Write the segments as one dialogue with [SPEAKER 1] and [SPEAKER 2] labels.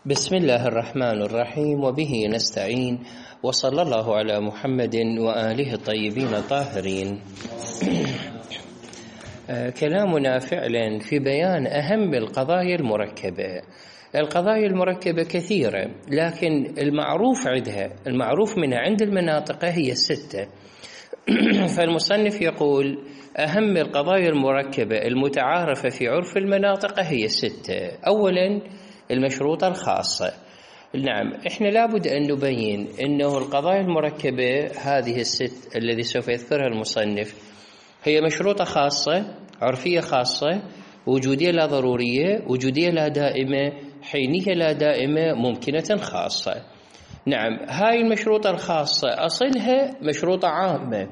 [SPEAKER 1] بسم الله الرحمن الرحيم، وبه نستعين، وصلى الله على محمد وآله الطيبين الطاهرين. كلامنا فعلا في بيان أهم القضايا المركبة. القضايا المركبة كثيرة، لكن المعروف منها عند المناطق هي 6. فالمصنف يقول أهم القضايا المركبة المتعارفة في عرف المناطق هي 6. أولا المشروطة الخاصة. نعم، إحنا لابد أن نبين أنه القضايا المركبة هذه 6 الذي سوف يذكرها المصنف هي مشروطة خاصة، عرفية خاصة، وجودية لا ضرورية، وجودية لا دائمة، حينية لا دائمة، ممكنة خاصة. نعم، هاي المشروطة الخاصة أصلها مشروطة عامة،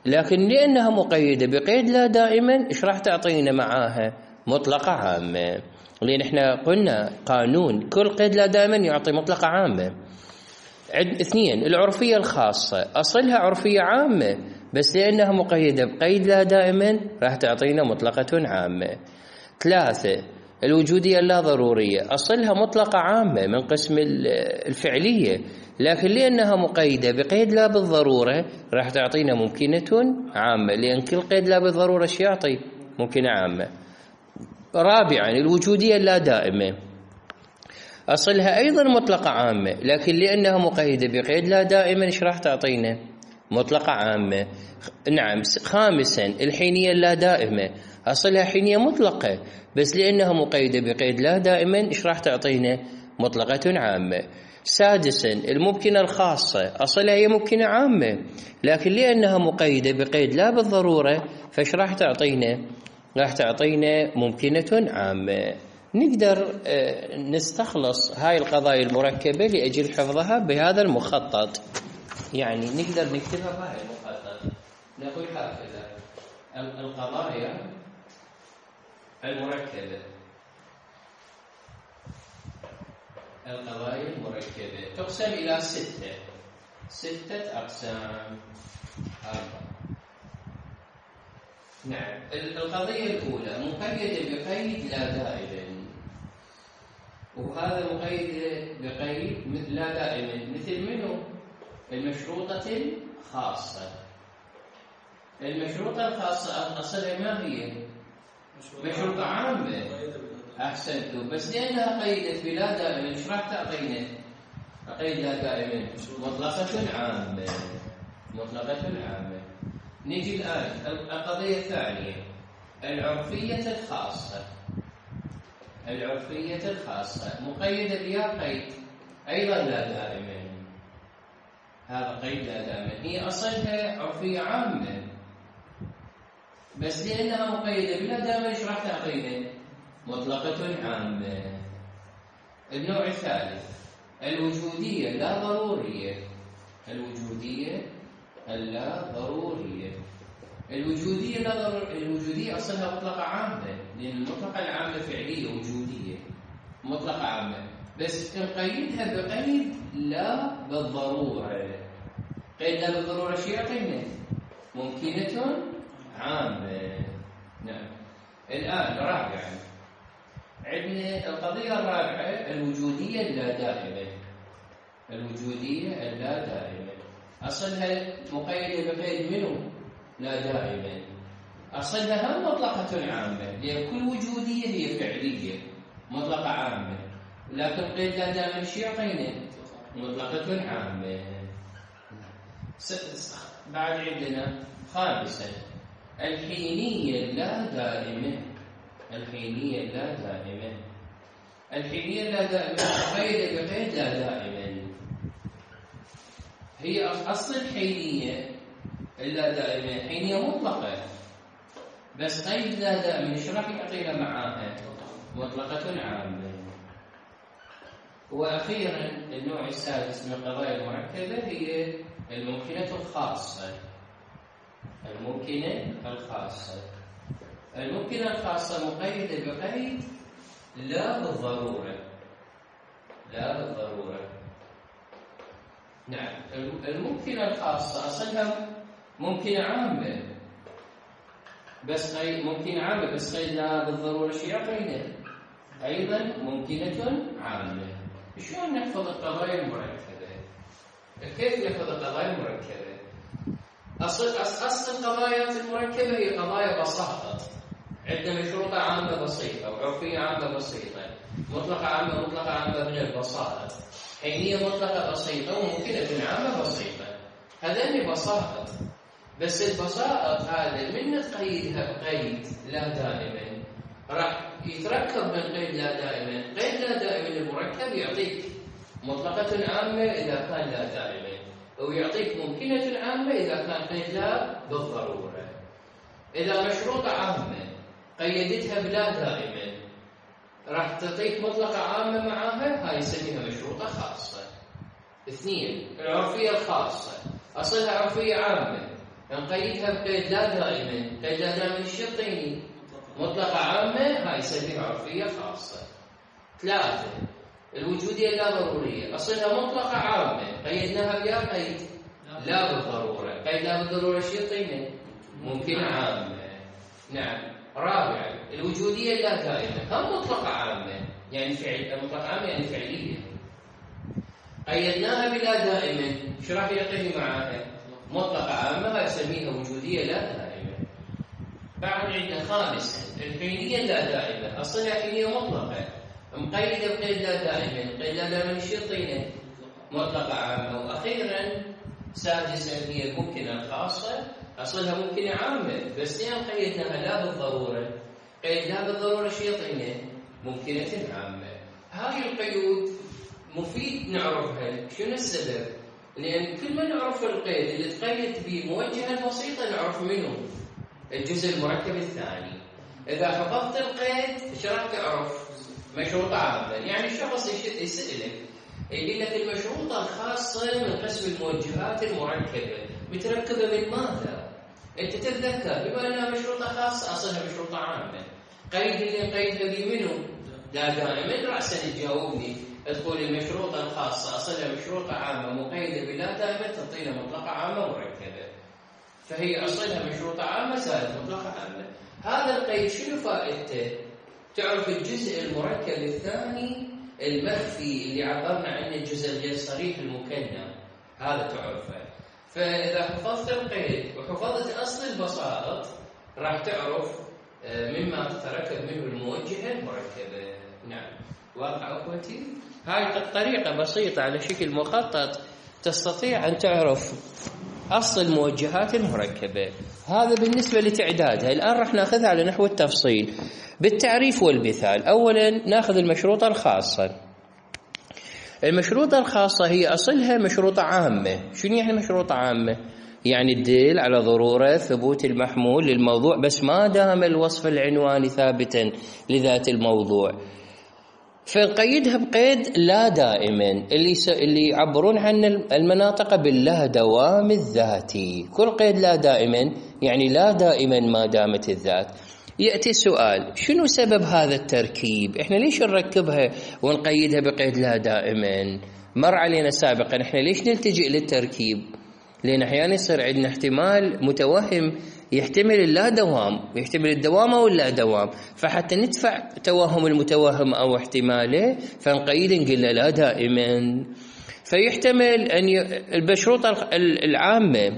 [SPEAKER 1] لكن لأنها مقيدة بقيد لا دائما إيش راح تعطينا معاها؟ مطلقة عامة. لأن إحنا قلنا قانون كل قيد لا دائما يعطي مطلقة عامة. 2 العرفية الخاصة أصلها عرفية عامة، بس لأنها مقيدة بقيد لا دائما راح تعطينا مطلقة عامة. 3 الوجودية اللا ضرورية أصلها مطلقة عامة من قسم الفعلية، لكن لأنها مقيدة بقيد لا بالضرورة راح تعطينا ممكنة عامة، لأن كل قيد لا بالضرورة شو يعطي؟ ممكنة عامة. 4 الوجودية اللا دائمة أصلها أيضا مطلقة عامة، لكن لأنها مقيدة بقيد لا دائما إيش راح تعطينا؟ مطلقة عامة. نعم. 5 الحينية اللا دائمة أصلها حينية مطلقة، بس لأنها مقيدة بقيد لا دائما إيش راح تعطينا؟ مطلقة عامة. 6 الممكنة الخاصة أصلها هي ممكنة عامة، لكن لأنها مقيدة بقيد لا بالضرورة فإيش راح تعطينا؟ راح تعطينا ممكنة عامة. نقدر نستخلص هاي القضايا المركبة لأجل حفظها بهذا المخطط، يعني نقدر نكتبها بهذا المخطط. نقول هكذا: القضايا المركبة، القضايا المركبة تقسم إلى 6 أقسام. 4. نعم، القضية الأولى مقيدة بقيد لا دائما، وهذا مقيد بقيد لا دائما مثل منه؟ المشروطة الخاصة. المشروطة الخاصة أصلها ما هي؟ مشروطة عامة. أحسنتم، بس لأنها قيدت بلا دائما إيش راح تعطينا؟ قيد لا دائما مطلقة عامة. مطلقة عامة. نجي الآن القضية الثانية، العرفية الخاصة. العرفية الخاصة مقيدة بها قيد أيضا لا دائما. هذا قيد لا دائما، هي أصلها عرفية عامة، بس لأنها مقيدة بلا دائما إيش راح تعطينا؟ مطلقة عامة. النوع الثالث الوجودية لا ضرورية. الوجودية اللا ضرورية. الوجودية أصلها مطلقة عامة، لأن المطلقة العامة فعلية وجودية مطلقة عامة، بس نقيدها بقيد لا بالضرورة. قيد لا بالضرورة شو يعطينا؟ ممكنة عامة. نعم. الآن رابعا عندنا القضية الرابعة الوجودية اللا دائمة. الوجودية اللا دائمة أصلها مقيدة بقيد منه؟ لا دائما. أصلها هم مطلقة عامة، لأن كل وجودية هي فعلية مطلقة عامة، لكن قيد لا دائما شو يعطينا؟ مطلقة عامة. بعد عندنا 5 الحينية اللا دائمة. الحينية اللا دائمة. الحينية اللا دائمة مقيدة بقيد لا دائما. هي أصل الحينية اللا دائمة حينية مطلقة، بس قيد لا دائما ايش راح يعطينا معاها؟ مطلقة عامة. وأخيرا النوع السادس من القضايا المركبة هي الممكنة الخاصة. الممكنة الخاصة. الممكنة الخاصة مقيدة بقيد لا بالضرورة. لا بالضرورة. نعم، الممكنة الخاصة أصلها ممكنة عامة، بس ممكنة عامة بس قيد لا بالضرورة شو يعطينا؟ أيضا ممكنة عامة. شلون نحفظ القضايا المركبة؟ كيف نحفظ القضايا المركبة؟ أصل القضايا المركبة هي قضايا بساطة، عندنا مشروطة عامة بسيطة وعرفية عامة بسيطة، مطلقة عامة من البساطة، حينية مطلقة بسيطة وممكنة عامة بسيطة. هذين بساطة، بس البساطة هذا من تقيدها بقيد لا دائما راح يتركب من قيد لا دائما. قيد لا دائما المركب يعطيك مطلقة عامة إذا كان لا دائما، ويعطيك ممكنة عامة إذا كان قيد لا بالضرورة. إذا مشروطة عامة قيدتها بلا دائما راح تعطيك مطلقة عامة معاها، هاي يسميها مشروطة خاصة. اثنين، العرفية الخاصة أصلها عرفية عامة نقيدها بقيد لا دائما. قيد لا دائما الشرطيني مطلقة عامة، هاي يسميها عرفية خاصة. ثلاثة، الوجودية لا ضرورية أصلها مطلقة عامة قيدناها بيا قيد لا بالضرورة. قيد لا بالضرورة الشرطيني ممكن عامة. نعم. رابعا، الوجودية لا دائما هم مطلقة عامة يعني مطلقة عامة يعني فعلية، قيدناها بلا دائما، شو راح يعطيني معاها؟ مطلقة عامة، يسميها وجودية لا دائمة. بعد عندنا خامسا، الحينية لا دائمة أصلها حينية مطلقة مقيدة بقيد لا دائما. قيد لا دائما الشرطيني مطلقة عامة. وأخيرا سادسا، هي الممكنة الخاصة أصلها ممكنة عامة بس لأن قيدناها لا بالضرورة. قيد لا بالضرورة شرطيني ممكنة عامة. هذه القيود مفيد نعرفها. شنو السبب؟ لأن كل ما نعرف القيد اللي تقيد به موجهة بسيطة نعرف منه الجزء المركب الثاني. إذا حفظت القيد ايش راح تعرف؟ مشروطة عامة. يعني الشخص يسألك يقول لك المشروطة الخاصة من قسم الموجهات المركبة متركبة من ماذا؟ أنت تتذكر بما أنها مشروطة خاصة أصلها مشروطة عامة. قيد اللي نقيدها به منه لا دائما رأسا تجاوبني تقول المشروطة الخاصة أصلها مشروطة عامة مقيدة بلا دائما تعطينا مطلقة عامة مركبة، فهي أصلها مشروطة عامة زائد مطلقة عامة. هذا القيد شنو فائدته؟ تعرف الجزء المركب الثاني المخفي اللي عبرنا عنه الجزء الغير صريح المكنى، هذا تعرفه. فإذا حفظت القيد وحفظت أصل البساط راح تعرف مما تتركب منه الموجهة المركبة. نعم، واضح أخوتي؟ هاي الطريقة بسيطة على شكل مخطط تستطيع أن تعرف أصل الموجهات المركبة. هذا بالنسبة لتعدادها. الآن راح ناخذها على نحو التفصيل بالتعريف والمثال. أولا ناخذ المشروطة الخاصة. المشروطة الخاصة هي أصلها مشروطة عامة. شنو يعني مشروطة عامة؟ يعني تدل على ضرورة ثبوت المحمول للموضوع بس ما دام الوصف العنواني ثابتا لذات الموضوع، فنقيدها بقيد لا دائما اللي يعبرون عن المناطق باللا دوام الذاتي. كل قيد لا دائما يعني لا دائما ما دامت الذات. يأتي السؤال، شنو سبب هذا التركيب؟ احنا ليش نركبها ونقيدها بقيد لا دائما؟ مر علينا سابقا احنا ليش نلتجئ للتركيب؟ لأن أحيانا يصير عندنا احتمال متوهم يحتمل اللا دوام، يحتمل الدوام أو اللا دوام، فحتى ندفع توهم المتوهم أو احتماله فنقيد نقول لا دائما. فيحتمل أن المشروطة العامة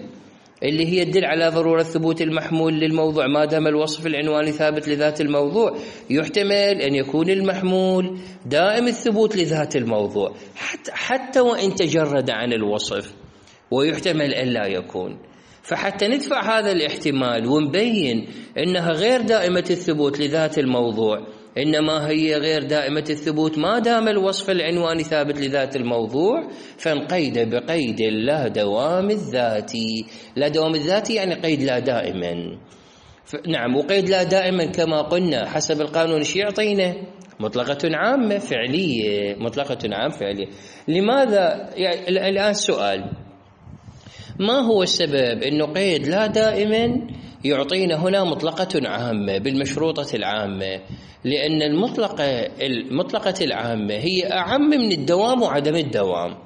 [SPEAKER 1] اللي هي تدل على ضرورة ثبوت المحمول للموضوع ما دام الوصف العنواني ثابت لذات الموضوع، يحتمل أن يكون المحمول دائم الثبوت لذات الموضوع حتى وإن تجرد عن الوصف، ويحتمل أن لا يكون. فحتى ندفع هذا الاحتمال ونبين أنها غير دائمة الثبوت لذات الموضوع، إنما هي غير دائمة الثبوت ما دام الوصف العنواني ثابت لذات الموضوع، فنقيد بقيد لا دوام الذاتي. لا دوام الذاتي يعني قيد لا دائما. نعم، وقيد لا دائما كما قلنا حسب القانون ايش يعطينا؟ مطلقة عامة فعلية. مطلقة عامة فعلية. لماذا؟ يعني الآن سؤال، ما هو السبب أنه قيد لا دائما يعطينا هنا مطلقة عامة بالمشروطة العامة؟ لأن المطلقة العامة هي أعم من الدوام وعدم الدوام،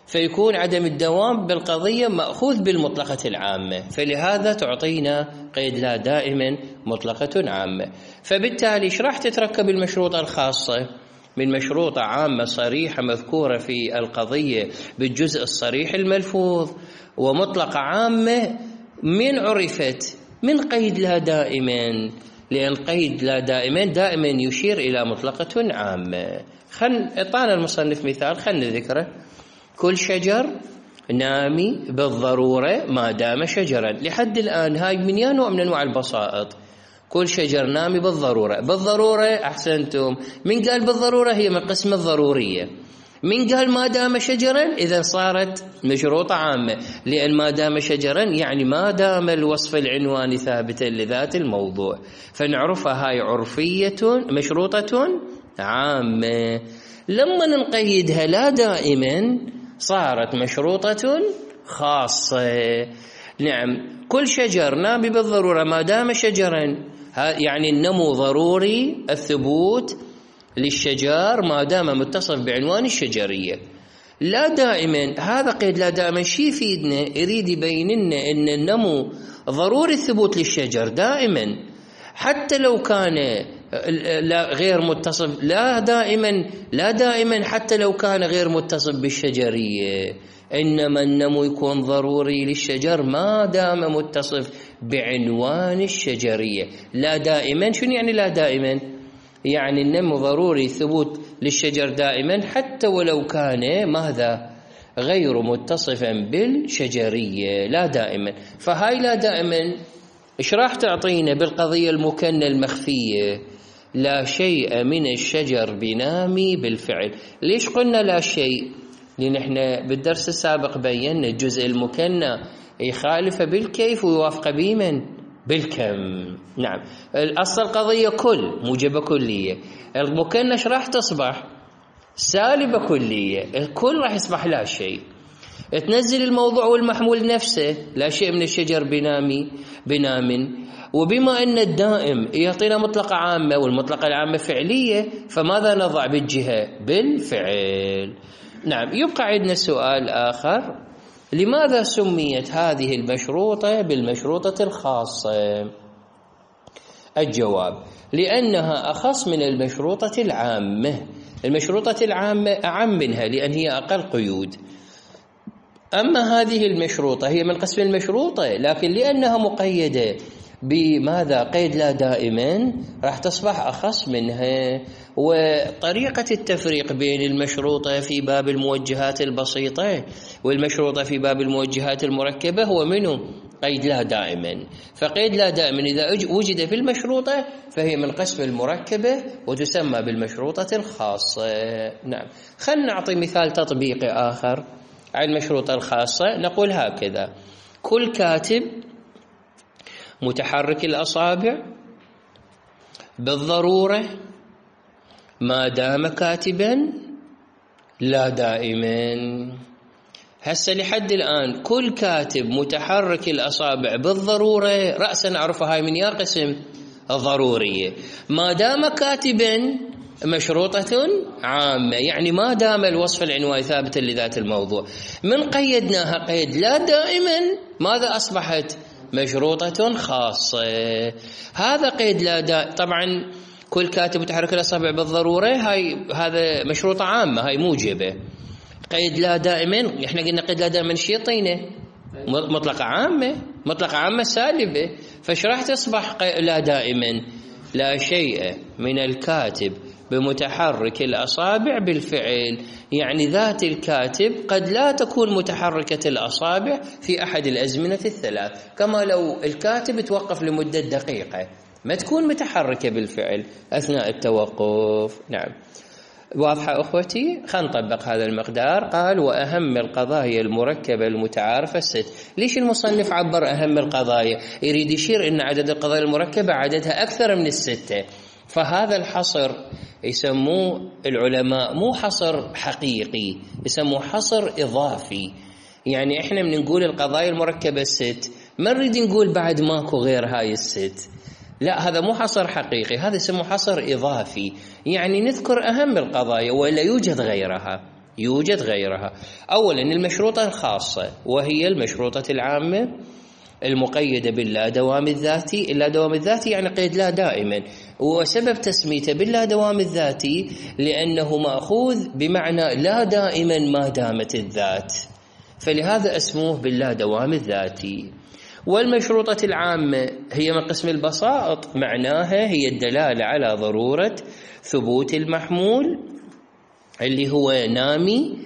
[SPEAKER 1] فيكون عدم الدوام بالقضية مأخوذ بالمطلقة العامة، فلهذا تعطينا قيد لا دائما مطلقة عامة. فبالتالي ايش راح تتركب المشروطة الخاصة؟ من مشروطة عامة صريحة مذكورة في القضية بالجزء الصريح الملفوظ، ومطلقة عامة من عرفت؟ من قيد لا دائما، لأن قيد لا دائما يشير إلى مطلقة عامة. اعطانا المصنف مثال خلنا نذكره: كل شجر نامي بالضرورة ما دام شجرا. لحد الآن هاي من نوع من أنواع البسائط. كل شجر نامي بالضرورة أحسنتم. من قال بالضرورة؟ هي من قسم الضرورية. من قال ما دام شجرا؟ إذا صارت مشروطة عامة، لأن ما دام شجرا يعني ما دام الوصف العنواني ثابتا لذات الموضوع، فنعرفها هاي عرفية مشروطة عامة. لما نقيدها لا دائما صارت مشروطة خاصة. نعم، كل شجر نامي بالضرورة ما دام شجرا، يعني النمو ضروري الثبوت للشجر ما دام متصف بعنوان الشجرية. لا دائما، هذا قيد لا دائما شي يفيدنا؟ يريد يبين لنا ان النمو ضروري الثبوت للشجر دائما، حتى لو كان لا غير متصف. لا دائما حتى لو كان غير متصف بالشجرية، إنما النمو يكون ضروري للشجر ما دام متصف بعنوان الشجرية. لا دائما شنو يعني لا دائما؟ يعني النمو ضروري ثبوت للشجر دائما حتى ولو كان ماذا؟ غير متصفا بالشجرية. لا دائما. فهاي لا دائما ايش راح تعطينا بالقضية المكنة المخفية؟ لا شيء من الشجر بنامي بالفعل. ليش قلنا لا شيء؟ لأن احنا بالدرس السابق بينا الجزء المكنة يخالف بالكيف ويوافق بمن؟ بالكم. نعم، الأصل القضية كل موجبة كلية، المكنة ايش راح تصبح؟ سالبة كلية. الكل راح يصبح لا شيء. تنزل الموضوع والمحمول نفسه، لا شيء من الشجر بنام. وبما أن الدائم يعطينا مطلقة عامة والمطلقة العامة فعلية، فماذا نضع بالجهة؟ بالفعل. نعم، يبقى عندنا سؤال آخر: لماذا سميت هذه المشروطة بالمشروطة الخاصة؟ الجواب: لأنها أخص من المشروطة العامة. المشروطة العامة أعم منها لأن هي أقل قيود. أما هذه المشروطة هي من قسم المشروطة، لكن لأنها مقيدة بماذا؟ قيد لا دائما، راح تصبح أخص منها. وطريقة التفريق بين المشروطة في باب الموجهات البسيطة والمشروطة في باب الموجهات المركبة هو منه؟ قيد لا دائما. فقيد لا دائما إذا وجد في المشروطة فهي من قسم المركبة وتسمى بالمشروطة الخاصة. نعم، خلنا نعطي مثال تطبيقي آخر على المشروطة الخاصة. نقول هكذا: كل كاتب متحرك الأصابع بالضرورة ما دام كاتبا لا دائما. هسه لحد الآن كل كاتب متحرك الأصابع بالضرورة رأسا نعرفها هاي من يا قسم الضرورية. ما دام كاتبا مشروطة عامة، يعني ما دام الوصف العنواني ثابتا لذات الموضوع. من قيدناها قيد لا دائما ماذا أصبحت؟ مشروطة خاصة. هذا قيد لا دائما. طبعا كل كاتب متحرك الأصابع بالضرورة هذا مشروطة عامة، هاي موجبة. قيد لا دائما احنا قلنا قيد لا دائما شي يعطينا؟ مطلقة عامة سالبة. فايش راح تصبح لا دائما؟ لا شيء من الكاتب بمتحرك الأصابع بالفعل، يعني ذات الكاتب قد لا تكون متحركة الأصابع في أحد الأزمنة الثلاث، كما لو الكاتب توقف لمدة دقيقة ما تكون متحركة بالفعل أثناء التوقف. نعم، واضحة أخوتي؟ خلينا نطبق هذا المقدار. قال: وأهم القضايا المركبة المتعارفة 6. ليش المصنف عبر أهم القضايا؟ يريد يشير أن عدد القضايا المركبة عددها أكثر من 6. فهذا الحصر يسموه العلماء مو حصر حقيقي، يسموه حصر إضافي. يعني إحنا من نقول القضايا المركبة 6 ما نريد نقول بعد ماكو غير هاي 6، لا، هذا مو حصر حقيقي، هذا يسموه حصر إضافي. يعني نذكر أهم القضايا ولا يوجد غيرها. أولا المشروطة الخاصة وهي المشروطة العامة. المقيدة باللا دوام الذاتي. اللا دوام الذاتي يعني قيد لا دائما، وسبب تسميته باللا دوام الذاتي لأنه مأخوذ بمعنى لا دائما ما دامت الذات، فلهذا اسموه باللا دوام الذاتي. والمشروطة العامة هي من قسم البسائط، معناها هي الدلالة على ضرورة ثبوت المحمول اللي هو نامي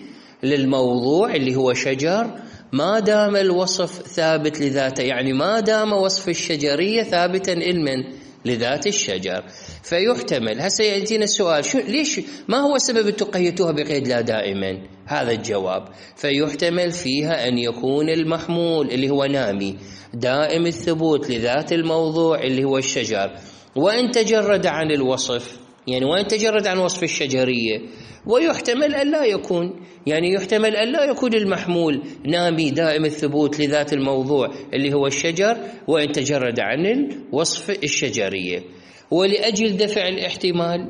[SPEAKER 1] للموضوع اللي هو شجر ما دام الوصف ثابت لذاته، يعني ما دام وصف الشجرية ثابتا علما لذات الشجر. فيحتمل هسه يأتينا السؤال ليش ما هو سبب تقيدوها بقيد لا دائما؟ هذا الجواب. فيحتمل فيها أن يكون المحمول اللي هو نامي دائم الثبوت لذات الموضوع اللي هو الشجر، وإن تجرد عن الوصف، يعني وإن تجرد عن وصف الشجرية. ويحتمل أن لا يكون، يعني يحتمل أن لا يكون المحمول نامي دائم الثبوت لذات الموضوع اللي هو الشجر وإن تجرد عن الوصف الشجرية. ولأجل دفع الاحتمال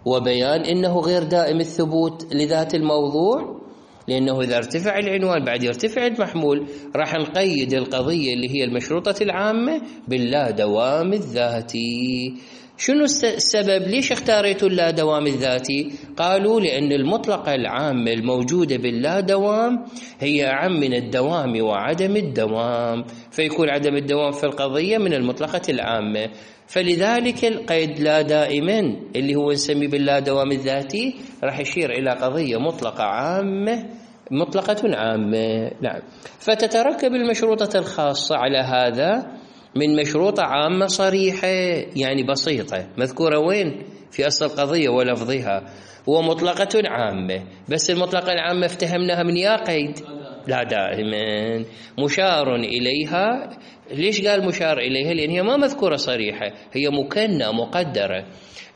[SPEAKER 1] وبيان أنه غير دائم الثبوت لذات الموضوع، لأنه إذا ارتفع العنوان بعد يرتفع المحمول، راح نقيد القضية اللي هي المشروطة العامة باللا دوام الذاتي. شنو السبب؟ ليش اختاريتوا اللا دوام الذاتي؟ قالوا لأن المطلقة العامة الموجودة باللا دوام هي أعم من الدوام وعدم الدوام، فيكون عدم الدوام في القضية من المطلقة العامة، فلذلك القيد لا دائما اللي هو نسميه باللا دوام الذاتي راح يشير إلى قضية مطلقة عامة، مطلقة عامة. نعم. فتتركب المشروطة الخاصة على هذا من مشروطة عامة صريحة يعني بسيطة مذكورة وين؟ في أصل القضية ولفظها، ومطلقة عامة. بس المطلقة العامة افتهمناها من يا قيد لا دائما مشار إليها. ليش قال مشار إليها؟ لأن هي ما مذكورة صريحة، هي مكنة مقدرة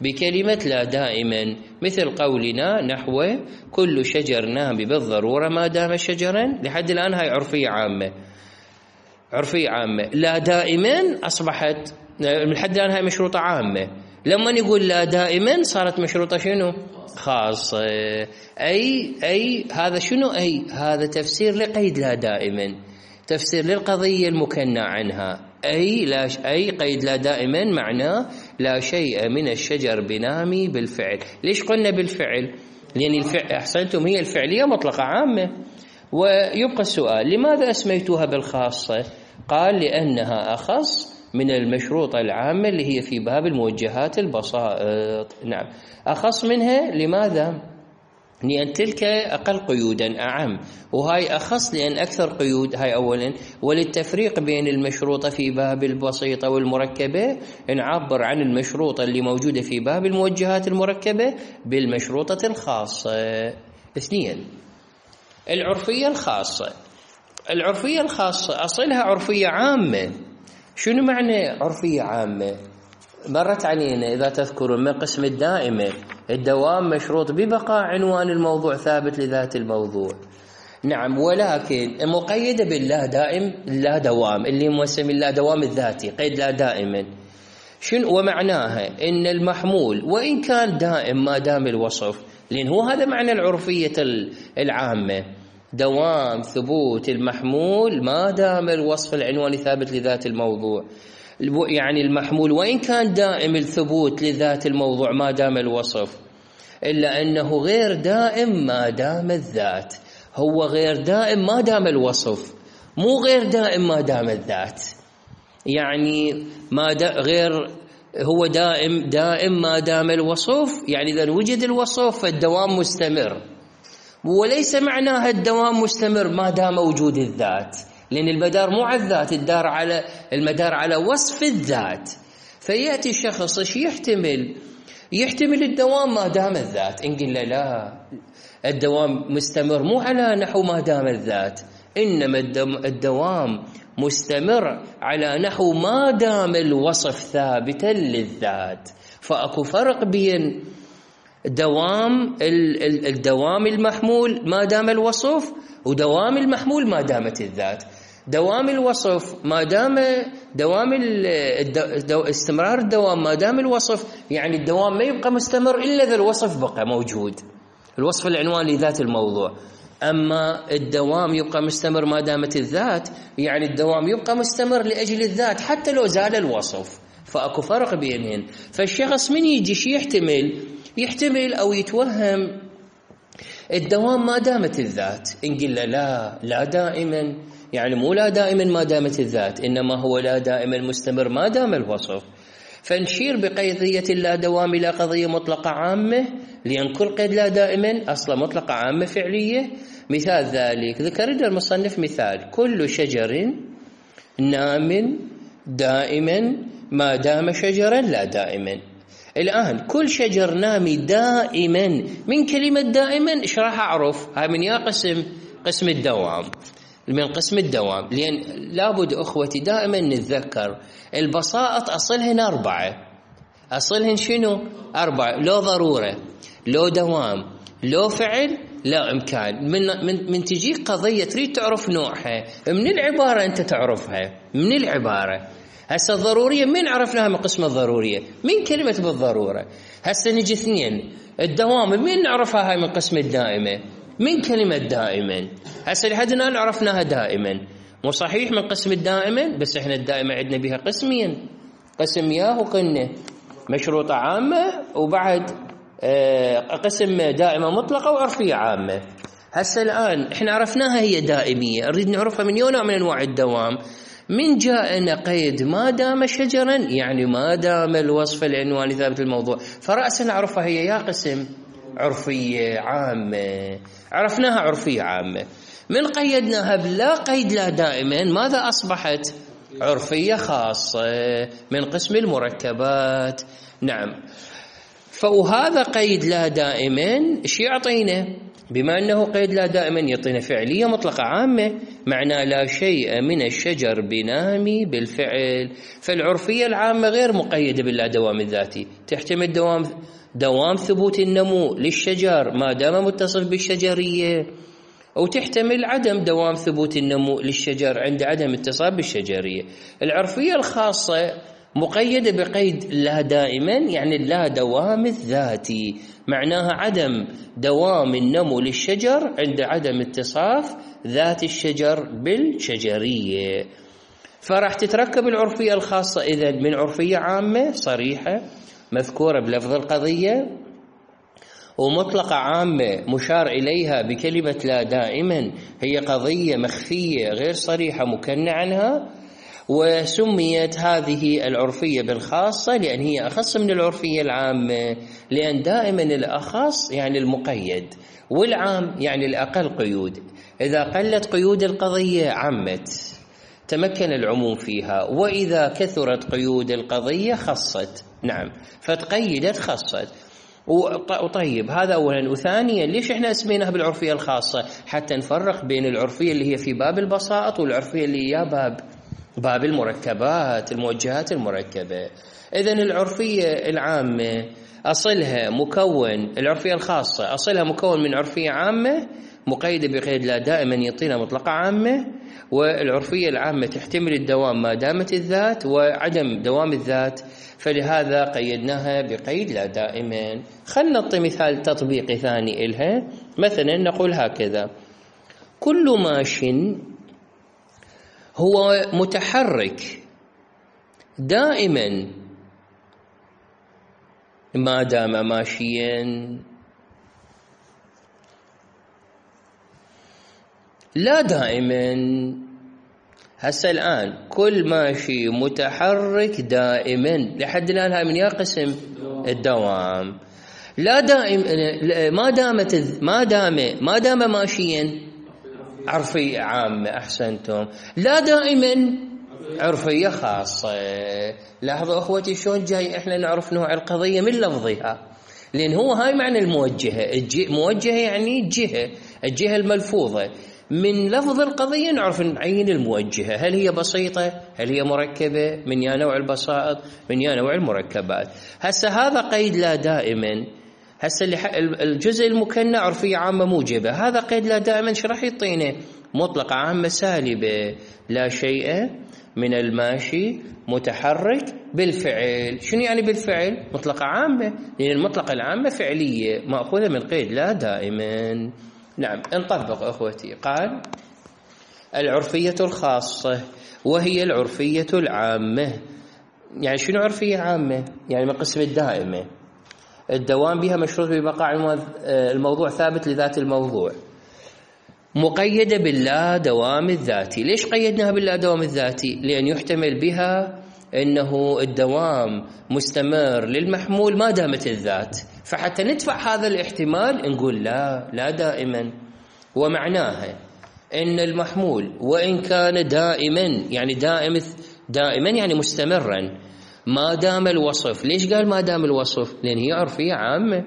[SPEAKER 1] بكلمة لا دائما، مثل قولنا نحو كل شجر نامي بالضرورة ما دام شجرا. لحد الآن هاي عرفية عامة، عرفية عامة. لا دائما أصبحت لحد الآن هاي مشروطة عامة، لما نقول لا دائما صارت مشروطة شنو؟ خاصة. أي هذا شنو؟ أي هذا تفسير لقيد لا دائما، تفسير للقضية المكنى عنها. أي قيد لا دائما معناه لا شيء من الشجر بنامي بالفعل. ليش قلنا بالفعل؟ لأن الفعل أحسنتم هي الفعلية مطلقة عامة. ويبقى السؤال لماذا أسميتوها بالخاصة؟ قال لأنها أخص من المشروطة العامة اللي هي في باب الموجهات البسائط. نعم، أخص منها. لماذا؟ لأن تلك أقل قيودا أعم، وهاي أخص لأن أكثر قيود. هاي أولا. وللتفريق بين المشروطة في باب البسيطة والمركبة نعبر عن المشروطة اللي موجودة في باب الموجهات المركبة بالمشروطة الخاصة. اثنين، العرفية الخاصة. العرفية الخاصة أصلها عرفية عامة. شنو معنى عرفية عامة؟ مرت علينا إذا تذكرون من قسم الدائمة، الدوام مشروط ببقاء عنوان الموضوع ثابت لذات الموضوع. نعم، ولكن مقيدة باللا دائم لا دوام اللي مسمى اللا دوام الذاتي، قيد لا دائما. شنو ومعناها؟ إن المحمول وإن كان دائم ما دام الوصف، لأن هو هذا معنى العرفية العامة، دوام ثبوت المحمول ما دام الوصف العنواني ثابت لذات الموضوع. يعني المحمول وإن كان دائم الثبوت لذات الموضوع ما دام الوصف، إلا أنه غير دائم ما دام الذات. هو غير دائم ما دام الوصف، مو غير دائم ما دام الذات. يعني غير هو دائم ما دام الوصف، يعني إذا وجد الوصف فالدوام مستمر، وليس معناها الدوام مستمر ما دام وجود الذات، لأن المدار مو على الذات، المدار على وصف الذات. فيأتي الشخص ايش يحتمل الدوام ما دام الذات. إن قلنا لا، الدوام مستمر مو على نحو ما دام الذات، إنما الدوام مستمر على نحو ما دام الوصف ثابتا للذات. فأكو فرق بين الدوام المحمول ما دام الوصف ودوام المحمول ما دامت الذات. دوام الوصف ما دام استمرار الدوام ما دام الوصف، يعني الدوام ما يبقى مستمر إلا إذا الوصف بقى موجود، الوصف العنواني لذات الموضوع. أما الدوام يبقى مستمر ما دامت الذات، يعني الدوام يبقى مستمر لأجل الذات حتى لو زال الوصف، فأكو فرق بينهن. فالشخص من يجي شي يحتمل أو يتوهم الدوام ما دامت الذات، إن قلنا لا دائما، يعني مو لا دائما ما دامت الذات، إنما هو لا دائما مستمر ما دام الوصف. فنشير بقضية اللا دوام إلى قضية مطلقة عامة، لأن كل قيد لا دائما أصلا مطلقة عامة فعلية. مثال ذلك ذكر المصنف مثال: كل شجر نام دائما ما دام شجرا لا دائما. الآن كل شجر نامي دائما، من كلمة دائما إيش راح أعرف؟ هاي من يا قسم الدوام، من قسم الدوام. لأن لابد أخوتي دائما نتذكر البساطة أصلهن 4. أصلهن شنو؟ 4. لو ضرورة، لو دوام، لو فعل، لا إمكان. من تجيك قضية تريد تعرف نوعها من العبارة، أنت تعرفها من العبارة. هسه الضرورية من عرفناها؟ من قسم الضرورية، من كلمة بالضرورة. هسه نجي 2 الدوام، من نعرفها؟ هاي من قسم الدائمة، من كلمة دائما. هسه لحد الآن عرفناها دائما، مو صحيح من قسم الدائما، بس احنا الدائمة عندنا بها قسمين: قسم ياه وقلنا مشروطة عامة، وبعد قسم دائمة مطلقة وعرفية عامة. هسه الآن احنا عرفناها هي دائمية، نريد نعرفها من نوع من أنواع الدوام. من جاءنا قيد ما دام شجرا، يعني ما دام الوصف العنواني ثابت الموضوع، فرأسا نعرفها هي يا قسم عرفية عامة، عرفناها عرفية عامة. من قيدناها بلا قيد لا دائما، ماذا أصبحت؟ عرفية خاصة من قسم المركبات. نعم. فهذا قيد لا دائما ايش يعطينا؟ بما أنه قيد لا دائما يعطينا فعلية مطلقة عامة، معناه لا شيء من الشجر بنامي بالفعل. فالعرفية العامة غير مقيدة باللا دوام الذاتي، تحتمل دوام ثبوت النمو للشجر ما دام متصل بالشجرية، أو تحتمل عدم دوام ثبوت النمو للشجر عند عدم اتصال بالشجرية. العرفية الخاصة مقيدة بقيد لا دائما، يعني اللا دوام الذاتي، معناها عدم دوام النمو للشجر عند عدم اتصاف ذات الشجر بالشجرية. فراح تتركب العرفية الخاصة إذن من عرفية عامة صريحة مذكورة بلفظ القضية، ومطلقة عامة مشار إليها بكلمة لا دائما هي قضية مخفية غير صريحة مكنى عنها. وسميت هذه العرفية بالخاصة لأن هي أخص من العرفية العامة، لأن دائما الأخص يعني المقيد، والعام يعني الأقل قيود. إذا قلت قيود القضية عمت، تمكن العموم فيها، وإذا كثرت قيود القضية خصت. نعم، فتقيدت خصت. وطيب هذا أولا. وثانيا ليش إحنا اسميناها بالعرفية الخاصة؟ حتى نفرق بين العرفية اللي هي في باب البساط والعرفية اللي هي باب المركبات، الموجهات المركبة. إذن العرفية العامة أصلها مكون، العرفية الخاصة أصلها مكون من عرفية عامة مقيدة بقيد لا دائما يعطينا مطلقة عامة، والعرفية العامة تحتمل الدوام ما دامت الذات وعدم دوام الذات، فلهذا قيدناها بقيد لا دائما. خلنا نعطي مثال تطبيقي ثاني إلها. مثلا نقول هكذا: كل ماش هو متحرك دائما ما دام ماشيا، لا دائما. هسه الآن كل ماشي متحرك دائما، لحد الآن هاي من يا قسم الدوام. لا دائم ما دام ماشيا عرفية عامة، أحسنتم. لا دائما عرفية خاصة. لاحظوا أخوتي شلون جاي إحنا نعرف نوع القضية من لفظها، لأن هو هاي معنى الموجهة. موجهة يعني الجهة الملفوظة. من لفظ القضية نعرف نعين الموجهة، هل هي بسيطة، هل هي مركبة، من يا نوع البسائط، من يا نوع المركبات. هسه هذا قيد لا دائما. هسه الجزء المكنى عرفية عامة موجبة، هذا قيد لا دائما شو راح يعطينا؟ مطلقة عامة سالبة. لا شيء من الماشي متحرك بالفعل. شنو يعني بالفعل؟ مطلقة عامة، لأن المطلقة العامة فعلية مأخوذة من قيد لا دائما. نعم نطبق أخوتي. قال العرفية الخاصة وهي العرفية العامة. يعني شنو عرفية عامة؟ يعني من قسم الدائمة، الدوام بها مشروط ببقاء الموضوع ثابت لذات الموضوع، مقيدة باللا دوام الذاتي. ليش قيدناها باللا دوام الذاتي؟ لأن يحتمل بها أنه الدوام مستمر للمحمول ما دامت الذات، فحتى ندفع هذا الاحتمال نقول لا دائما. ومعناها أن المحمول وإن كان دائما، يعني دائما يعني مستمرا ما دام الوصف. ليش قال ما دام الوصف؟ لأن هي عرفية عامة.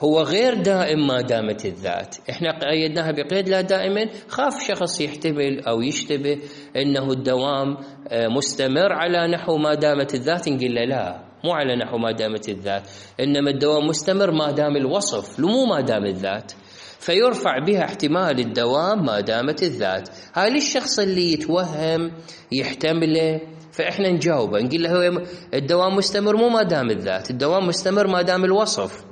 [SPEAKER 1] هو غير دائم ما دامت الذات. احنا قيدناها بقيد لا دائما، خاف شخص يحتمل أو يشتبه أنه الدوام مستمر على نحو ما دامت الذات، نقول له لا، مو على نحو ما دامت الذات، إنما الدوام مستمر ما دام الوصف، مو ما دام الذات، فيرفع بها احتمال الدوام ما دامت الذات. هاي للشخص اللي يتوهم يحتمله، فإحنا نجاوبه نقول له الدوام مستمر مو ما دام الذات، الدوام مستمر ما دام الوصف.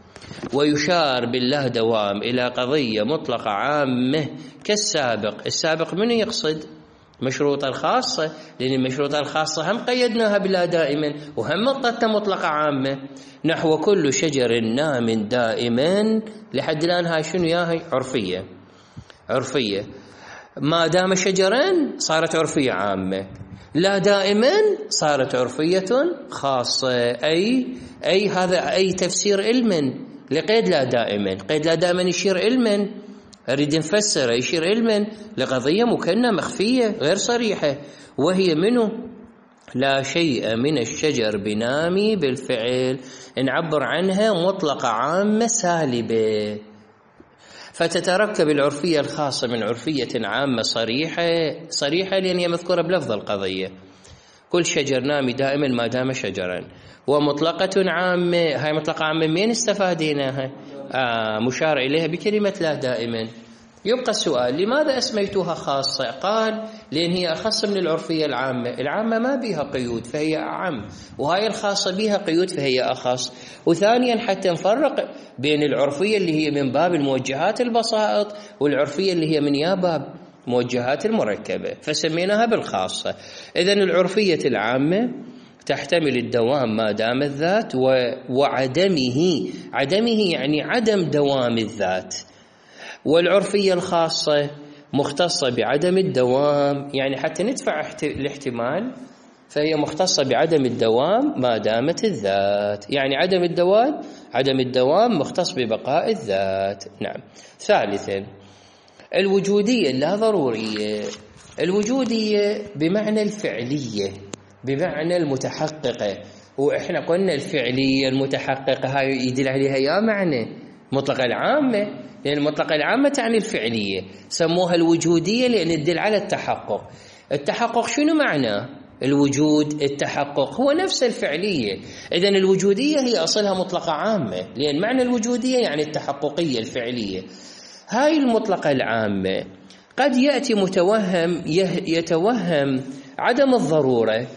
[SPEAKER 1] ويشار بالله دوام إلى قضية مطلقة عامة كالسابق. السابق منه يقصد؟ مشروطة الخاصة، لأن المشروطة الخاصة هم قيدناها بلا دائما وهم مطلقة مطلقة عامة، نحو كل شجر نام دائما. لحد الآن هاي شنو ياهي؟ عرفية. ما دام شجرا صارت عرفية عامة، لا دائما صارت عرفية خاصة. أي هذا أي تفسير علما لقيد لا دائما. قيد لا دائما يشير علما، أريد نفسر يشير علما لقضية مكنة مخفية غير صريحة، وهي منه لا شيء من الشجر بنامي بالفعل، نعبر عنها مطلقة عامة سالبة. فتتركب العرفية الخاصة من عرفية عامة صريحة لأن هي مذكورة بلفظ القضية، كل شجر نامي دائما ما دام شجرا. ومطلقة عامة، هاي مطلقة عامة من استفاديناها؟ مشار إليها بكلمة لا دائما. يبقى السؤال لماذا أسميتها خاصة؟ قال لأن هي أخص من العرفية العامة. العامة ما بها قيود فهي أعم، وهاي الخاصة بها قيود فهي أخص. وثانيا حتى نفرق بين العرفية اللي هي من باب الموجهات البسائط والعرفية اللي هي من باب موجهات المركبة، فسميناها بالخاصة. إذن العرفية العامة تحتمل الدوام ما دام الذات عدمه يعني عدم دوام الذات. والعرفية الخاصة مختصة بعدم الدوام، يعني حتى ندفع الاحتمال فهي مختصة بعدم الدوام ما دامت الذات، يعني عدم الدوام مختص ببقاء الذات. نعم. ثالثا الوجودية لا ضرورية. الوجودية بمعنى الفعلية، بمعنى المتحققة. وإحنا قلنا الفعلية المتحققة هاي يدل عليها يا معنى مطلقة العامة، لأن المطلقة العامة تعني الفعلية. سموها الوجودية لأن تدل على التحقق. التحقق شنو معناه؟ الوجود التحقق هو نفس الفعلية. إذن الوجودية هي أصلها مطلقة عامة، لأن معنى الوجودية يعني التحققية الفعلية. هاي المطلقة العامة قد يأتي متوهم يتوهم عدم الضرورة،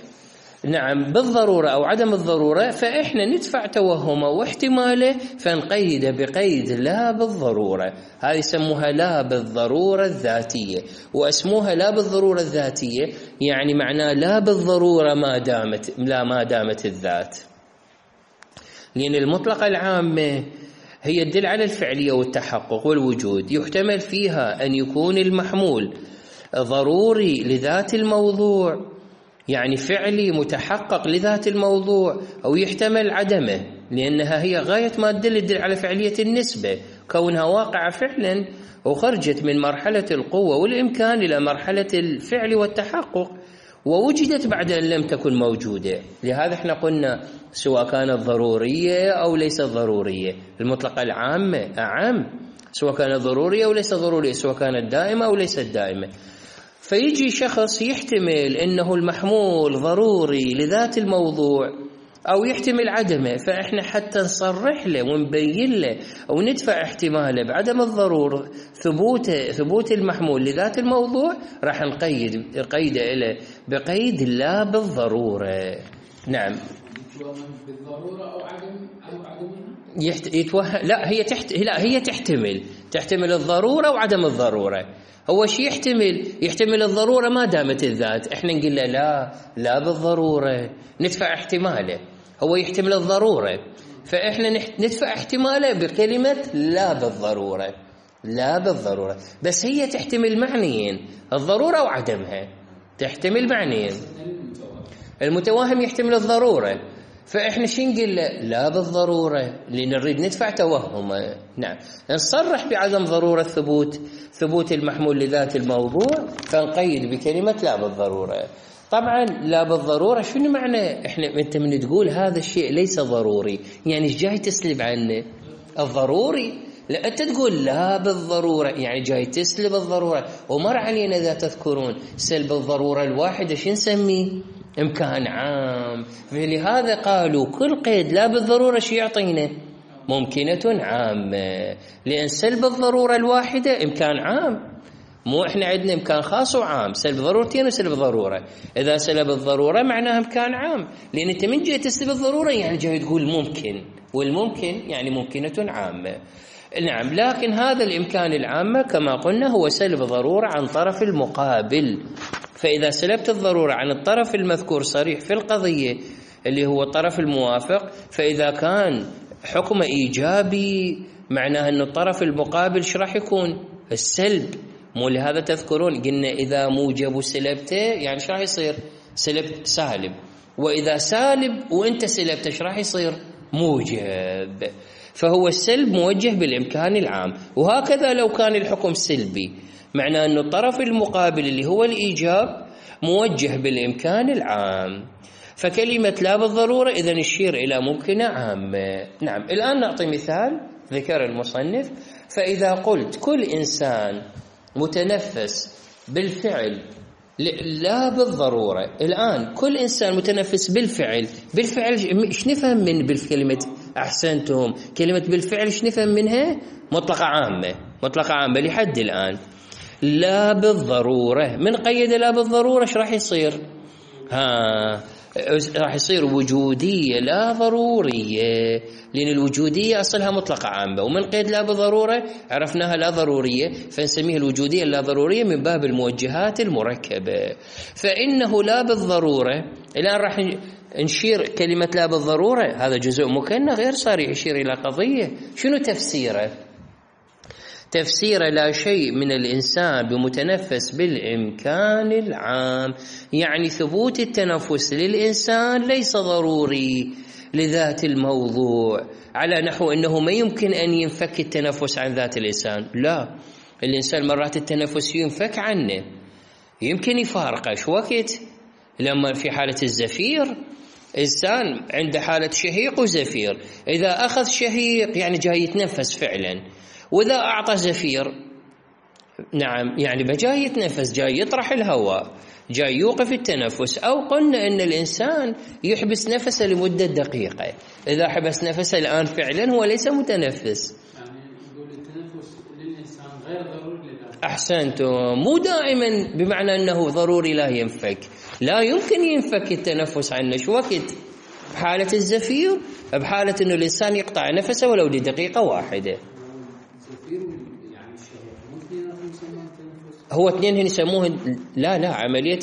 [SPEAKER 1] نعم بالضرورة أو عدم الضرورة، فإحنا ندفع توهمه واحتماله فنقيده بقيد لا بالضرورة. هذه يسموها لا بالضرورة الذاتية. واسموها لا بالضرورة الذاتية يعني معناه لا بالضرورة ما دامت الذات، لأن المطلقة العامة هي تدل على الفعلية والتحقق والوجود، يحتمل فيها أن يكون المحمول ضروري لذات الموضوع، يعني فعلي متحقق لذات الموضوع، أو يحتمل عدمه لأنها هي غاية ما تدل على فعلية النسبة، كونها واقعة فعلا وخرجت من مرحلة القوة والإمكان إلى مرحلة الفعل والتحقق، ووجدت بعد أن لم تكن موجودة. لهذا احنا قلنا سواء كانت ضرورية أو ليست ضرورية. المطلقة العامة أعم، سواء كانت ضرورية أو ليست ضرورية، سواء كانت دائمة أو ليست دائمة. فيجي شخص يحتمل أنه المحمول ضروري لذات الموضوع أو يحتمل عدمه، فإحنا حتى نصرح له ونبين له وندفع احتماله بعدم الضرورة ثبوت المحمول لذات الموضوع، راح نقيده إليه بقيد لا بالضرورة. نعم.
[SPEAKER 2] بالضرورة أو عدمها؟
[SPEAKER 1] لا هي تحتمل الضرورة وعدم الضرورة. هو شيء يحتمل الضرورة ما دامت الذات، احنا نقول له لا بالضرورة، ندفع احتماله. هو يحتمل الضرورة، فاحنا ندفع احتماله بكلمة لا بالضرورة. بس هي تحتمل معنيين، الضرورة وعدمها تحتمل معنيين. المتوهم يحتمل الضرورة، فإحنا شو نقول لا بالضرورة لأن نريد ندفع توهمه. نعم، نصرح بعدم ضرورة ثبوت المحمول لذات الموضوع، فنقيد بكلمة لا بالضرورة. طبعا لا بالضرورة شنو معنى؟ أنت من تقول هذا الشيء ليس ضروري، يعني ايش جاي تسلب عنه؟ الضروري. لا، أنت تقول لا بالضرورة يعني جاي تسلب الضرورة. ومر علينا إذا تذكرون سلب الضرورة الواحدة شو نسميه؟ إمكان عام. فلهذا قالوا كل قيد لا بالضرورة شو يعطينا؟ ممكنة عامة، لأن سلب الضرورة الواحدة إمكان عام. مو إحنا عندنا إمكان خاص وعام، سلب ضرورتين وسلب ضرورة. إذا سلب الضرورة معناها إمكان عام، لأن أنت من جاي تسلب الضرورة يعني جاي تقول ممكن، والممكن يعني ممكنة عامة. نعم، لكن هذا الإمكان العامة كما قلنا هو سلب ضرورة عن طرف المقابل. فإذا سلبت الضرورة عن الطرف المذكور صريح في القضية اللي هو الطرف الموافق، فإذا كان حكم إيجابي معناه أن الطرف المقابل شو راح يكون؟ السلب. مو لهذا تذكرون قلنا إذا موجب سلبته يعني شو راح يصير؟ سلب سالب. وإذا سالب وإنت سلبته شو راح يصير؟ موجب. فهو السلب موجه بالإمكان العام. وهكذا لو كان الحكم سلبي معناه أن الطرف المقابل اللي هو الإيجاب موجه بالإمكان العام. فكلمة لا بالضرورة إذن يشير إلى ممكنة عامة. نعم، الآن نعطي مثال ذكر المصنف. فإذا قلت كل إنسان متنفس بالفعل لا بالضرورة، الآن كل إنسان متنفس بالفعل إيش نفهم من بالكلمة؟ أحسنتم، كلمة بالفعل إيش نفهم منها؟ مطلقة عامة لحد الآن. لا بالضرورة من قيد لا بالضرورة إيش راح يصير؟ راح يصير وجودية لا ضرورية، لأن الوجودية أصلها مطلقة عامة، ومن قيد لا بالضرورة عرفناها لا ضرورية، فنسميها الوجودية اللا ضرورية من باب الموجهات المركبة. فإنه لا بالضرورة الآن راح نشير كلمة لا بالضرورة، هذا جزء مكنى غير صريح يشير إلى قضية. شنو تفسيره؟ تفسير لا شيء من الإنسان بمتنفس بالإمكان العام، يعني ثبوت التنفس للإنسان ليس ضروري لذات الموضوع، على نحو أنه ما يمكن أن ينفك التنفس عن ذات الإنسان. لا، الإنسان مرات التنفس ينفك عنه، يمكن يفارقه شو وقت. لما في حالة الزفير إنسان عنده حالة شهيق وزفير، إذا أخذ شهيق يعني جاي يتنفس فعلا، وإذا أعطى زفير نعم يعني جاي يتنفس، جاي يطرح الهواء، جاي يوقف التنفس. أو قلنا أن الإنسان يحبس نفسه لمدة دقيقة، إذا حبس نفسه الآن فعلا هو ليس متنفس.
[SPEAKER 2] يعني نقول التنفس للإنسان غير ضروري للآخر.
[SPEAKER 1] أحسنتم، مو دائما بمعنى أنه ضروري لا ينفك، لا يمكن ينفك التنفس عنه. شو وقت؟ بحالة الزفير، بحالة أنه الإنسان يقطع نفسه ولو لدقيقة واحدة. هو اثنين هنا يسموه عملية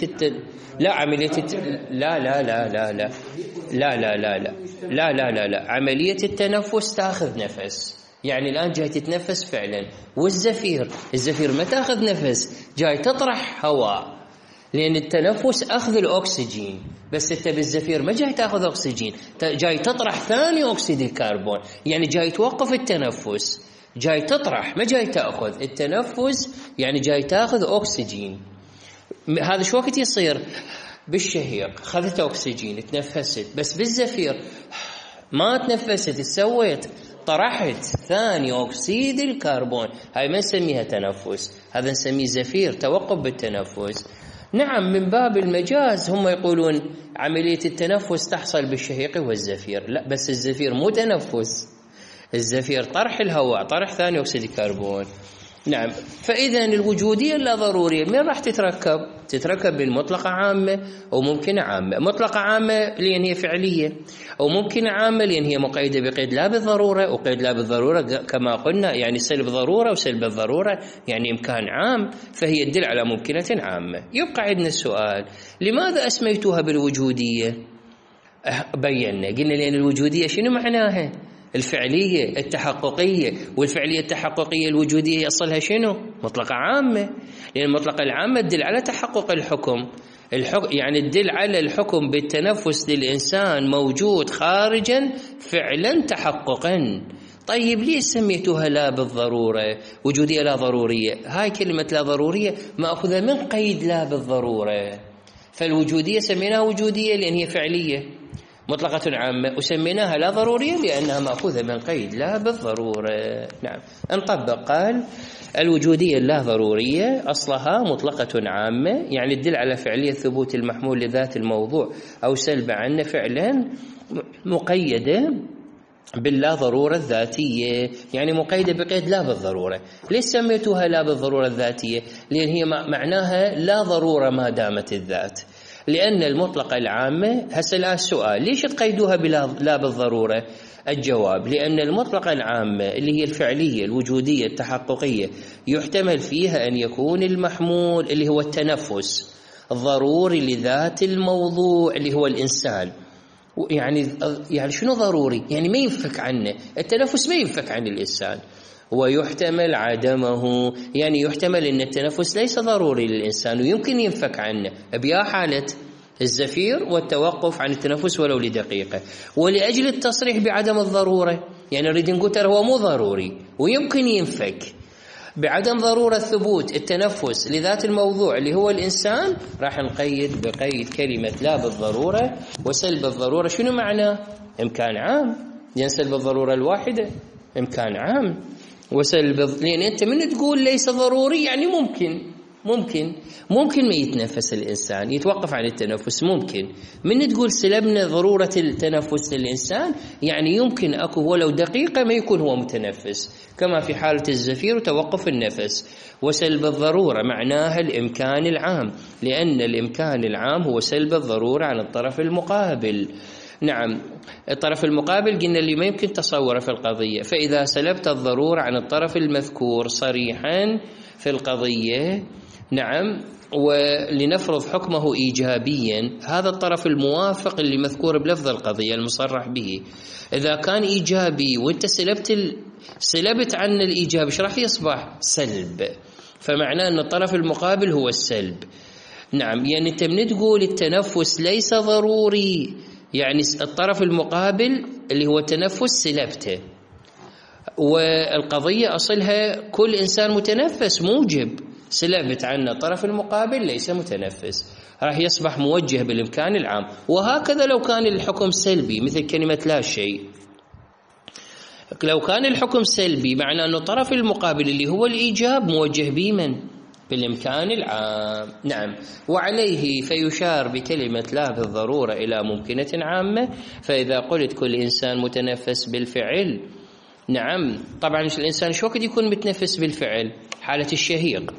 [SPEAKER 1] عملية التنفس تاخذ نفس، يعني الآن جاي تتنفس فعلا. والزفير ما تاخذ نفس، جاي تطرح هواء، لأن التنفس أخذ الأكسجين، بس أنت بالزفير ما جاي تأخذ أكسجين، جاي تطرح ثاني أكسيد الكربون، يعني جاي توقف التنفس، جاي تطرح ما جاي تأخذ التنفس، يعني جاي تأخذ أكسجين. هذا شو وقت يصير؟ بالشهيق خذت أكسجين تنفست، بس بالزفير ما تنفست، سويت طرحت ثاني أكسيد الكربون، هاي ما نسميها تنفس، هذا نسميه زفير، توقف بالتنفس. نعم، من باب المجاز هم يقولون عملية التنفس تحصل بالشهيق والزفير، لا، بس الزفير مو تنفس، الزفير طرح الهواء، طرح ثاني أكسيد الكربون. نعم. فإذا الوجودية اللا ضرورية من راح تتركب؟ تتركب بالمطلقة عامة أو ممكنة عامة. مطلقة عامة لأن هي فعلية، أو ممكنة عامة لأن هي مقيدة بقيد لا بالضرورة، وقيد لا بالضرورة كما قلنا يعني سلب ضرورة وسلب الضرورة يعني إمكان عام، فهي تدل على ممكنة عامة. يبقى عندنا السؤال: لماذا أسميتها بالوجودية؟ بينا قلنا لأن الوجودية شنو معناها؟ الفعلية التحققية، والفعلية التحققية الوجودية يصلها شنو؟ مطلقة عامة، لأن المطلقة العامة تدل على تحقق الحكم يعني تدل على الحكم بالتنفس للإنسان موجود خارجا فعلا تحققا. طيب ليش سميتوها لا بالضرورة وجودية لا ضرورية؟ هاي كلمة لا ضرورية مأخوذة من قيد لا بالضرورة، فالوجودية سميناها وجودية لأن هي فعلية مطلقة عامة، وسميناها لا ضرورية لأنها مأخوذة من قيد لا بالضرورة. نعم. نطبق. قال الوجودية اللا ضرورية أصلها مطلقة عامة، يعني تدل على فعلية ثبوت المحمول لذات الموضوع أو سلب عنه فعلا، مقيدة باللا ضرورة الذاتية، يعني مقيدة بقيد لا بالضرورة. ليش سميتوها لا بالضرورة الذاتية؟ لأن هي معناها لا ضرورة ما دامت الذات، لأن المطلقة العامة. هسه الآن السؤال: ليش تقيدوها بلا بالضرورة؟ الجواب: لأن المطلقة العامة اللي هي الفعلية الوجودية التحققية يحتمل فيها أن يكون المحمول اللي هو التنفس ضروري لذات الموضوع اللي هو الإنسان. يعني شنو ضروري؟ يعني ما ينفك عنه، التنفس ما ينفك عن الإنسان. ويحتمل عدمه، يعني يحتمل أن التنفس ليس ضروري للإنسان ويمكن ينفك عنه بيا حالة الزفير والتوقف عن التنفس ولو لدقيقة. ولأجل التصريح بعدم الضرورة يعني نريد نقول ترى هو مو ضروري ويمكن ينفك، بعدم ضرورة ثبوت التنفس لذات الموضوع اللي هو الإنسان راح نقيد بقيد كلمة لا بالضرورة. وسلب الضرورة شنو معناه؟ إمكان عام، لأن سلب الضرورة الواحدة إمكان عام. لأن أنت من تقول ليس ضروري يعني ممكن ما يتنفس الإنسان، يتوقف عن التنفس ممكن. من تقول سلبنا ضرورة التنفس للإنسان يعني يمكن أكو ولو دقيقة ما يكون هو متنفس، كما في حالة الزفير وتوقف النفس. وسلب الضرورة معناها الإمكان العام، لأن الإمكان العام هو سلب الضرورة عن الطرف المقابل. نعم. الطرف المقابل قلنا اللي ما يمكن تصوره في القضية، فإذا سلبت الضرورة عن الطرف المذكور صريحا في القضية، نعم، ولنفرض حكمه إيجابيا، هذا الطرف الموافق اللي مذكور بلفظ القضية المصرح به، إذا كان إيجابي وانت سلبت عن الإيجاب ايش راح يصبح؟ سلب. فمعناه أن الطرف المقابل هو السلب. نعم. يعني انت من تقول التنفس ليس ضروري يعني الطرف المقابل اللي هو التنفس سلبته، والقضية أصلها كل إنسان متنفس موجب، سلبت عنه الطرف المقابل ليس متنفس، راح يصبح موجه بالإمكان العام. وهكذا لو كان الحكم سلبي مثل كلمة لا شيء، لو كان الحكم سلبي معناه أن الطرف المقابل اللي هو الإيجاب موجه بمن؟ بالإمكان العام. نعم. وعليه فيشار بكلمة لا بالضرورة إلى ممكنة عامة. فإذا قلت كل إنسان متنفس بالفعل، نعم، طبعا الإنسان شو وقت يكون متنفس بالفعل؟ حالة الشهيق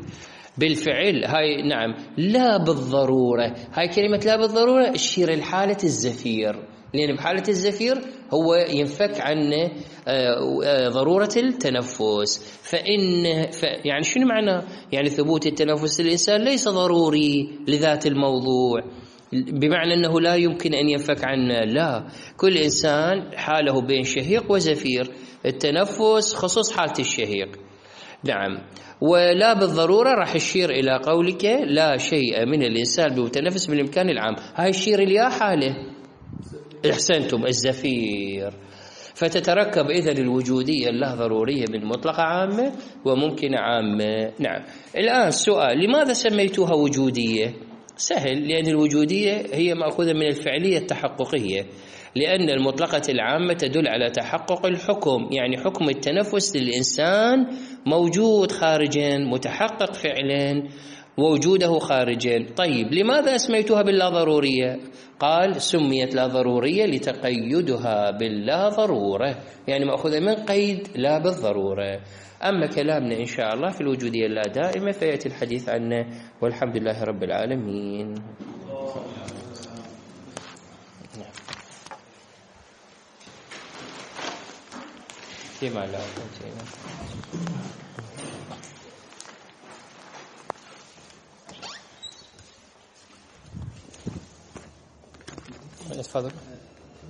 [SPEAKER 1] بالفعل، هاي نعم لا بالضرورة. هاي كلمة لا بالضرورة تشير لحالة الزفير، لأن بحالة الزفير هو ينفك عنه ضرورة التنفس. يعني شنو معنى؟ يعني ثبوت التنفس للإنسان ليس ضروري لذات الموضوع، بمعنى أنه لا يمكن أن ينفك عنه، لا، كل إنسان حاله بين شهيق وزفير، التنفس خصوص حالة الشهيق. نعم. ولا بالضرورة راح يشير إلى قولك لا شيء من الإنسان بمتنفس بالإمكان العام، هاي يشير إلى حاله، احسنتم، الزفير. فتتركب إذن الوجودية اللا ضرورية من مطلقة عامة وممكنة عامة. نعم. الآن السؤال: لماذا سميتوها وجودية؟ سهل، لأن الوجودية هي مأخوذة من الفعلية التحققية، لأن المطلقة العامة تدل على تحقق الحكم، يعني حكم التنفس للإنسان موجود خارجا متحقق فعلا، ووجوده خارجا. طيب لماذا أسميتها باللا ضرورية؟ قال سميت لا ضرورية لتقيدها باللا ضرورة، يعني مأخوذة من قيد لا بالضرورة. أما كلامنا إن شاء الله في الوجودية اللا دائمة فيأتي الحديث عنه، والحمد لله رب العالمين. فيما لا تفضل.